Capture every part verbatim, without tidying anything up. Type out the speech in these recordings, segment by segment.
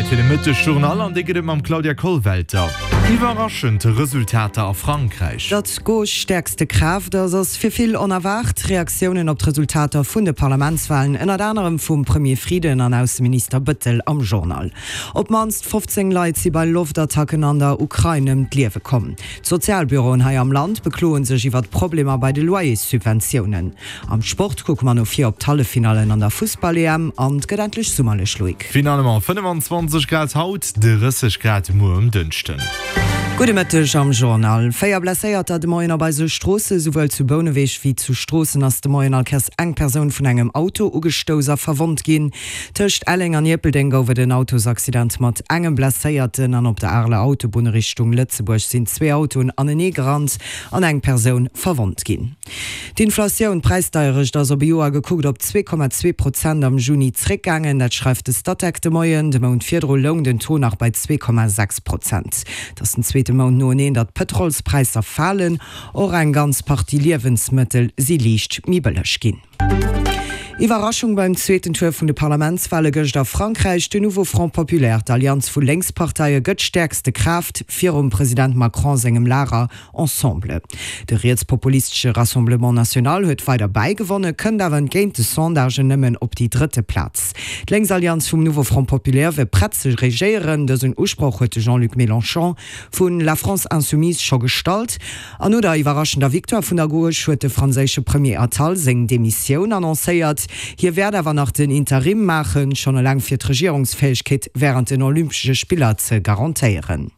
Zäit fir de Mëttesjournal an dee gëtt et mam Claudia Kollwelter. Iwwerraschend Resultater a Frankräich. Datt d'Gauche stäerkste Kraaft ass, ass fir vill onerwaart. Reaktiounen op d'Resultater vun de Parlamentswalen, ënnert anerem vum Premier Frieden an Ausseminister Bëttel am Journal. Op d'mannst fofzéng Leit si bei Loftattacken an der Ukrain ëm d'Liewe komm. D'Sozialbüroen hei am Land bekloe sech iwwert Problemer bei de Loyerssubventiounen. Am Sport kucke mer no vir op d'Halleffinallen an der Fussball-E M an et gëtt endlech summerlech, Loïc. Finalement fënnefenzwanzeg Grad haut, drësseg Grad muer um Dënschden. Gudde Mëtteg am Journal. Véier Blesséierter de Moien op eise Stroosse. Souwuel zu Bouneweg wéi zu Stroossen ass de Moien all Kéiers eng Persoun vun engem Auto ugestouss a verwonnt ginn. Tëscht Elleng an Ierpeldeng gouf et en Autosaccident mat engem Blesséierten an op der Areler Autobunn Richtung Lëtzebuerg sinn zwee Autoen anenee gerannt an eng Persoun verwonnt ginn. D'Inflatioun, d'Präisdeierecht, ass op e Joer gekuckt op zwee Komma zwee Prozent am Juni zréckgaangen. Dat schreift de Statec de Moien. De Mount virdru loung den Taux nach bei zwee Komma sechs Prozent. Et ass den zweete Mount noeneen, datt d'Pëtrolspräisser falen. Och eng ganz Partie Liewensmëttel si liicht méi bëlleg ginn. Iwwerraschung beim zweeten Tour vun de Parlamentswale gëscht a Frankräich, De Nouveau Front Populaire, d'Allianz vu Lénksparteie, gëtt stäerkste Kraaft virum President Macron sengem Lager Ensemble. De rietspopulistesche Rassemblement National huet weider bäigewonne, kënnt awer entgéint de Sondagen nëmmen op déi drëtte Plaz. D'Lénksallianz vum Nouveau Front Populaire wier prett ze regéieren. Dësen Usproch huet de Jean-Luc Mélenchon vu La France Insoumise scho gestallt. An no der iwwerraschender Victoire vun der Gauche huet de franséische Premier Attal seng Demissioun annoncéiert. Hie wäert awer nach den Interim maachen, schonn eleng fir d'Regierungsfäegkeet wärend den Olympesche Spiller ze garantéieren.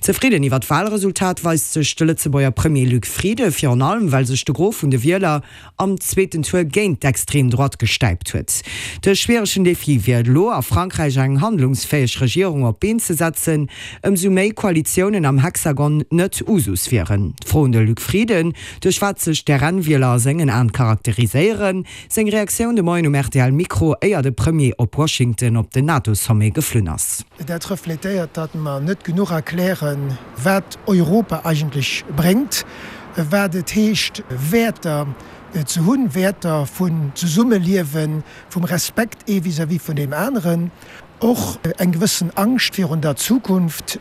Zefridden iwwer d'Walresultat weist sech de Lëtzebuerger Premier Luc Frieden, virun allem well sech de Gros vun de Wieler am zweeten Tour géint d'extrem Droite gestäipt huet. De schwieregen Defi wier elo, a Frankräich eng handlungsfäeg Regierung op d'Been ze setzen, ëmsou méi Koalitiounen am Hexagon net Usus wieren. D'Fro un de Luc Frieden, duerch wat sech d'R N-Wieler a sengen Aen charakteriséieren. Seng Reaktioun de Moien um R T L-Mikro, éier de Premier op Washington op den NATO-Sommet geflunn ass. Dat refletéiert, datt mer net genuch erklären, wat Europa eigentlech bréngt, wat et heescht, Wäerter ze hunn, Wäerter vun Zesummeliewen, vum Respekt ee vis-à-vis vun deem aneren, och eng gewëssen Angscht virun der Zukunft,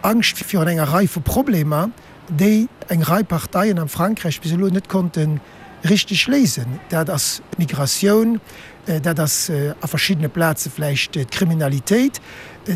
Angscht virun enger Rei vu Problemer, déi eng Rei Parteien am Frankräich bis elo net konnte richteg léisen. Dat ass d'Migratioun, dat ass a verschiddene Plaze vläicht d'Kriminalitéit.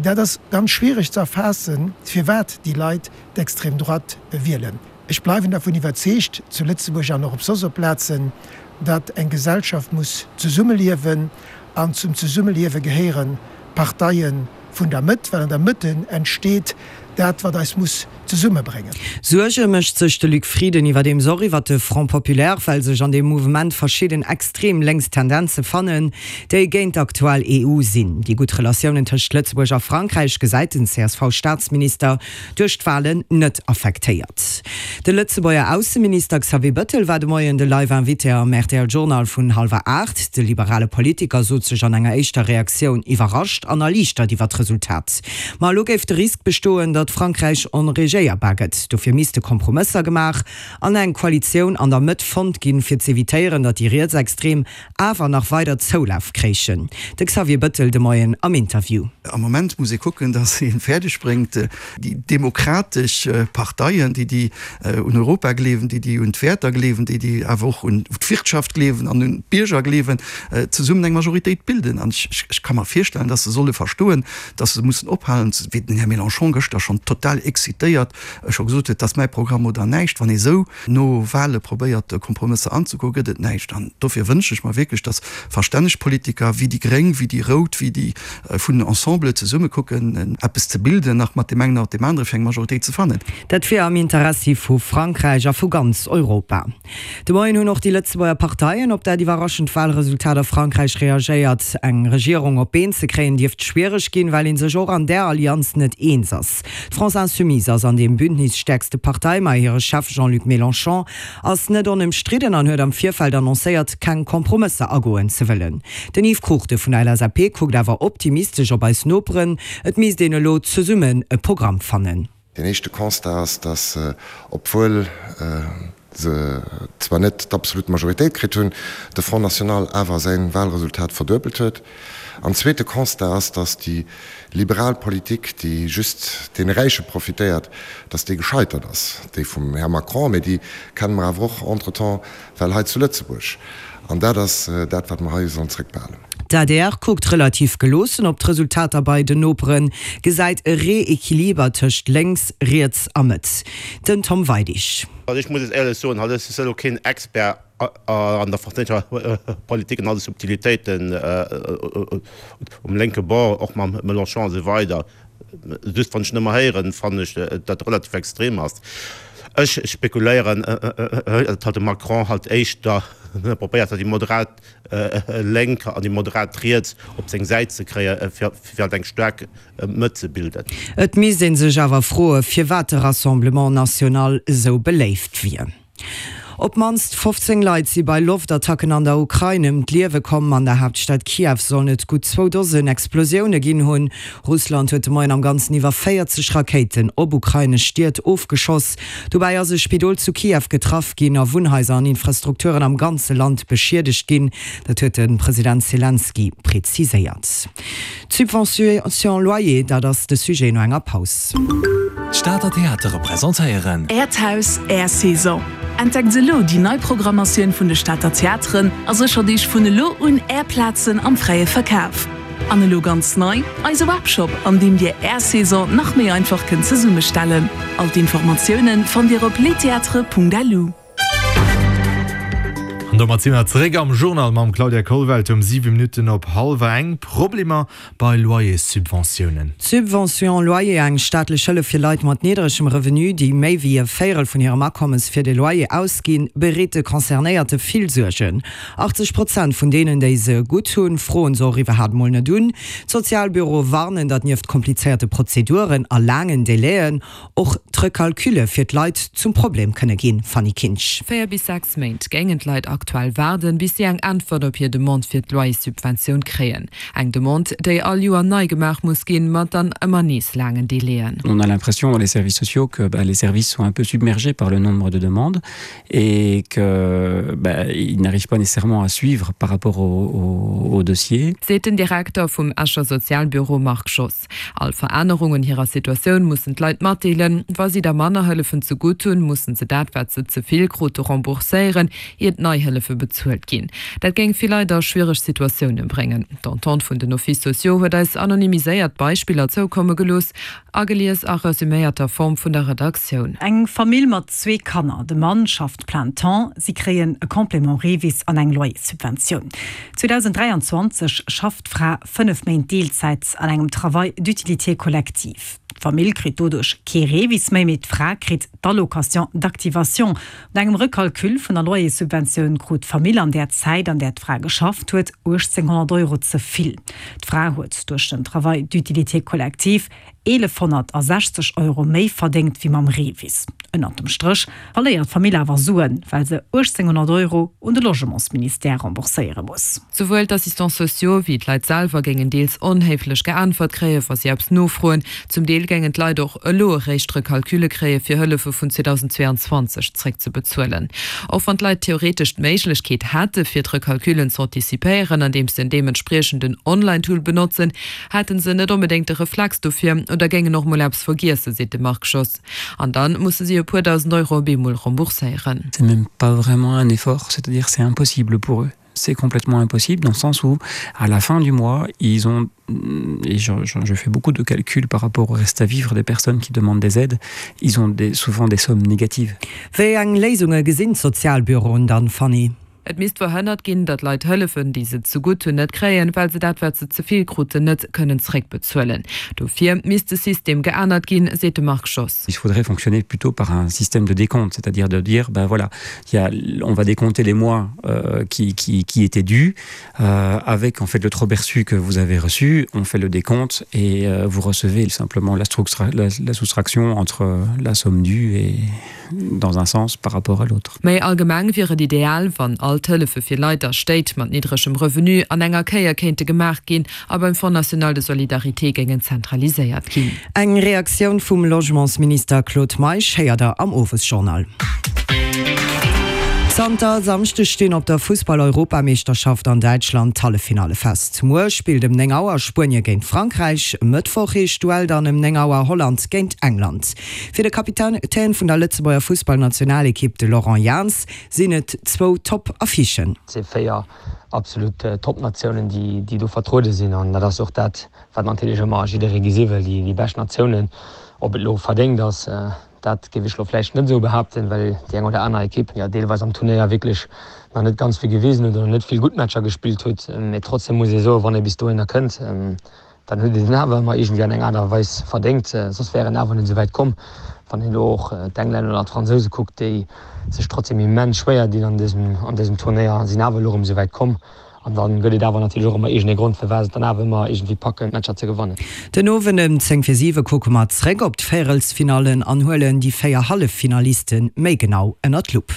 Dat ass ganz schwiereg ze erfaassen, firwat déi Leit d'extrême droite wielen. Ech bleiwen dervun iwwerzeegt, zu Lëtzebuerg an och op soss op Plazen, datt eng Gesellschaft muss zesummeliewen an zum Zesummeliewe gehéiere Parteie vun der Mëtt, well an der Mëtte entsteet dat, wat eis muss zesummebréngen. Suerge mécht sech de Luc Frieden iwwerdeems och iwwer de Front Populaire, well sech an deem Mouvement verschidden extrem lénks Tendenze fannen, déi géint d'aktuell E U sinn. Déi gutt Relatiounen tëscht Lëtzebuerg a Frankräich gesäit den C S V-Staatsminister duerch d'Walen net affektéiert. De Lëtzebuerger Ausseminister Xavier Bëttel war de Moien de Live-Invité am R T L Journal vun hallwer aacht. De liberale Politiker sot sech an enger éischter Reaktioun iwwerrascht an erliichtert iwwer d'Resultat. Ma elo géif de Risk bestoen, datt Frankräich onregéierbar gëtt. Dofir misste Kompromësser gemaach an eng Koalitioun an der Mëtt fonnt ginn, fir z'evitéieren, datt déi Rietsextrem awer nach weider Zoulaf kréichen. De Xavier Bëttel de Moien am Interview. Am Moment muss ee kucken, datt ee fäerdeg bréngt, déi demokratesch Parteien, déi déi un Europa gleewen, déi déi un d'Wäerter gleewen, déi déi awer och un d'Wirtschaft gleewen an un d'Bierger gleewen, zesummen eng Majoritéit bilden. An ech ka mer virstellen, datt se solle verstoen, datt se mussen ophalen, wéi den Här Mélenchon gëschter schonn total excitéiert scho gesot huet, dat ass mäi Programm oder näischt. Wann ee sou no Wahle probéiert, Kompromësser anzegoen, gëtt et näischt. An dofir wënsche ech mer wierklech, datt verstänneg Politiker wéi déi Gréng, wéi déi Rout, wéi déi vun Ensemble zesumme kucken, eppes ze bilden, nach mat deem engen oder deem anere fir eng Majoritéit ze fannen. Dat wier am Interessi vu Frankräich a vu ganz Europa. De Moien hunn och déi Lëtzebuerger Parteien op dat iwwerraschend Walresultat a Frankräich reagéiert. Eng Regierung op d'Been ze kréien dierft schwiereg ginn, well ee sech och an där Allianz net eens ass. D'France Insoumise ass an deem Bündnis stäerkste Partei, ma hire Chef Jean-Luc Mélenchon ass net onëmstridden an huet am Virfeld annoncéiert, keng Kompromësser agoen ze wëllen. Den Yves Cruchten vun der L S A P kuckt awer optimistesch op eis Noperen, et misst een elo zesummen e Programm fannen. Deen éischte Constat ass, datt obwuel se zwar net d'absolut Majoritéit kritt hunn, de Front National awer säin Wahlresultat verduebelt huet. An zweete Constat ass, datt déi liberal Politik, déi just deene Räiche profitéiert, datt déi gescheitert ass, déi vum Här Macron, mee déi kenne mer awer och entretemps well hei zu Lëtzebuerg. An dat ass dat, wat mer hei sollen zrëckbehalen. D'adr kuckt relativ geloossen op d'Resultater bei den Noperen, gesäit e Reequiliber tëscht lénks, riets a Mëtt. Den Tom Weidig. Also ech muss et éierlech soen, halt ech si elo keen Expert an der franséischer Politik an all de Subtilitéiten um lénke Bord, och mam Mélenchon a sou weider. Just wann ech en ëmmer héieren, fannen ech dat relativ extrem ass. Ech spekuléieren, datt halt de Macron halt éischter probéiert hat déi moderat Lénk an déi moderat Riets op seng Säit ze kréie fir halt eng staark Mëtt ze bilden. Et misst ee sech awer froe firwat de Rassemblement National esou beléift wier. Op d'mannst fofzéng Leit si bei Loftattacken an der Ukrain ëm d'Liewe komm. An der Haaptstad Kiew sollen et gutt zwou Dosen Explosioune ginn hunn. Russland huet de Moien am Ganzen iwwer véierzeg Rakéiten op ukrainesch Stied ofgeschoss. Dobäi ass e Spidol zu Kiew getraff ginn a Wunnhaiser an Infrastrukturen am ganze Land beschiedegt ginn. Dat huet de President Selenskyj preziséiert. D'Subvention loyer, dat ass de Sujet no enger Paus. D'Stater Theatere presentéieren. Äert Haus, Är Saison. Entdeckt elo déi nei Programmatioun vun de Stater Theateren a séchert Iech vun elo un Är Plazen am fräie Verkaf. An elo ganz nei, eise Webshop, an deem Dir Är Saison nach méi einfach kënnt zesummestellen. All d'Informatioune fannt Dir op lestheatres.lu. An domat si mer zeréck am Journal mam Claudia Kollwelter um siwe Minutten op hallwer eng. Problemer bei Loyerssubventiounen. D'Subvention loyer, eng staatlech Hëllef fir Leit mat niddregem Revenu, déi méi wéi e Véierel vun hirem Akommes fir de Loyer ausginn, bereet de Concernéierte vill Suergen. achtzeg Prozent vun deenen, déi se gutt hunn, froen se och iwwerhaapt mol net un. D'Sozialbüroe warnen, datt nieft komplizéierte Prozeduren a laangen Delaien och d'Recalculle fir d'Leit zum Problem kënne ginn, Fanny Kinsch. Véier bis sechs Méint géingen d'Leit aktuell waarden, bis si eng Äntwert op hir Demande fir d'Loyerssubventioun kréien. Eng Demande, déi all Joer nei gemaach muss ginn, mat dann ëmmer nees laangen Delaien. On a l'impression dans les services sociaux que bah, les services sont un peu submergés par le nombre de demandes et que bah, ils n'arrivent pas nécessairement à suivre par rapport au, au, au dossier. Seet den Direkter vum Escher Sozialbüro Marc Schoss. All Verännerung un hirer Situatioun mussen d'Leit matdeelen. Wa si da manner Hëllefen ze gutt hunn, mussen se dat, wat se ze vill krute rembourséieren, iert nei Hëllefe bezuelt ginn. Dat géing vill Leit a schwiereg Situatioune bréngen. D'Entente vun den Offices sociaux huet eis anonymiséiert Beispiller zoukomme gelooss, agelies a resuméierter Form vun der Redaktioun. Eng Famill mat zwee Kanner, de Mann schafft plein temps, si kréien e Complément Revis an eng Loyerssubventioun. zweedausenddräianzwanzeg schafft d'Fra fënnef Méint Deelzäit an engem Travail d'utilité collective. D'Famill kritt doduerch kee Revis méi, mee d'Fra kritt d'Allocation d'activation. No engem Recalcul vun der Loyerssubventioun krut d'Famill an där Zäit, an där d'Fra geschafft huet, uechtzénghonnert Euro ze vill. D'Fra huet duerch den Travail d'utilité collective eelefhonnertasechzeg Euro méi verdéngt wéi mam Revis. Ënnert dem Stréch verléiert d'Famill awer Suen, well se uechtzénghonnert Euro un de Logementsministère rembourséiere muss. Souwuel d'Assistants sociaux wéi d'Leit selwer géingen deels onhéiflech geäntwert kréien, wa si eppes nofroen. Zum Deel géingen d'Leit och elo eréischt Recalculle kréie fir Hëllefe vun zweedausendzweeanzwanzeg zréckzebezuelen. Och wann d'Leit theoretesch d'Méiglechkeet hätte fir d'Recalcullen z'anticipéieren, andeems se en deementspriechenden Online-Tool benotzen, hätte se net onbedéngt de Reflex dofir oder géingen och mol eppes vergiessen, seet de Marc Schoss. An dann musse si e puer dausend Euro op eemol rembourséieren. C'est même pas vraiment un effort, c'est-à-dire c'est impossible pour eux. C'est complètement impossible dans le sens où à la fin du mois, ils ont et je, je, je fais beaucoup de calculs par rapport au reste à vivre des personnes qui demandent des aides, ils ont des, souvent des sommes négatives. Wéi eng Léisunge gesinn d'Sozialbüroen dann, Fanny? Et misst verhënnert ginn, datt Leit Hëllefen, déi se zegutt hunn, net kréien, well se dat, wat se ze vill kruten, net kënnen zeréckbezuelen. Dofir misst de System geännert ginn, seet de Marc Schoss. Il faudrait fonctionner plutôt par un système de décompte, c'est-à-dire de dire, ben voilà, il y a, on va décompter les mois euh, qui, qui, qui étaient dus, euh, avec en fait le trop perçu que vous avez reçu, on fait le décompte et euh, vous recevez simplement la, la, la soustraction entre la somme due et dans un sens par rapport à l'autre. Méi allgemeng wier et ideal, wann all d'Hëllefe fir Leit a Stéit mat niddregem Revenu an enger Kéier kéinte gemaach ginn a beim Fonds national de solidarité géingen zentraliséiert ginn. Eng Reaktioun vum Logementsminister Claude Meisch héiert der am Owesjournal. Zanter Samschdeg stinn op der Fussball-Europameeschterschaft an Däitschland d'Halleffinalle fest. Muer spillt ëm néng Auer Spuenie géint Frankräich, e Mëttwoch heescht d'Duell dann ëm néng Auer Holland géint England. Fir de Kapitän vun der Lëtzebuerger Fussballnationalekipp, de Laurent Jans, sinn et zwou Top-Affichen. Et si véier absolut Top-Natiounen, déi do vertruede sinn an dat ass och dat, wat natierlech ëmmer jidderee gesi wëll, déi bescht Natiounen. Ob et elo verdéngt ass, dat géif ech elo vläicht net esou behaapten, well déi eng oder aner Ekipp jo deelweis am Turnéier wierklech nach net ganz vill gewisen huet oder net vill gutt Matcher gespillt huet. Mee trotzdem muss ee soen, wann ee bis dohinner kënnt, dann huet een en awer ëmmer iergendwéi an eng Aart a Weis verdéngt, soss wär en awer net esou wäit komm. Wann een elo och d'Englänner oder d'Fransouse kuckt, déi sech trotzdem immens schwéier dinn an dësem an dësem Turnéier, sinn awer elo erëm esou wäit komm. An da gëtt et awer natierlech och ëmmer iergendee Grond, firwat se et dann awer ëmmer iergendwéi packen, d'Matcher ze gewannen. Den Owend ëm zéng vir siwe kucke mer zréck op d'Véierelsfinallen an huelen déi véier Halleffinaliste méi genau ënner d'Lupp.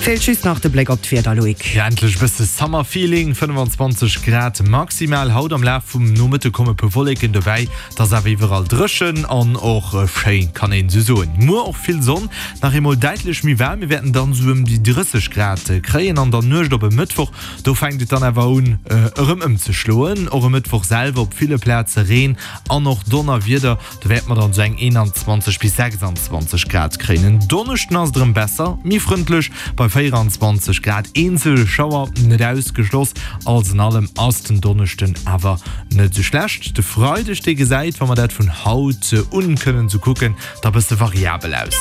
Feelt just nach de Bléck op d'Wieder, Loïc. Jo, endlech e bësse Summer Feeling, fënnefenzwanzeg Grad maximal haut. Am Laf vum Nomëtte komme puer Wolleken dobäi, et ass awer iwwerall dréchen an och schéin, kann een esou soen. Muer och vill Sonn, nach eemol däitlech méi waarm, mir wäerten dann esou ëm déi drësseg Grad kréien. An der Nuecht op e Mëttwoch, do fänkt et dann awer un erëm ëmzeschloen. Och e Mëttwoch selwer op ville Plaze Reen an och Donnerwieder, do wäerte mer dann esou eng eenanzwanzeg bis sechsanzwanzeg Grad kréien. En Donneschden ass et erëm besser, méi frëndlech bei véieranzwanzeg Grad, eenzel Schauer net ausgeschloss. Alles an allem ass den Donneschden awer net esou schlecht. De Freideg, dee gesäit, wa mer dat vun haut un kënnen esou kucken, da bësse variabel aus.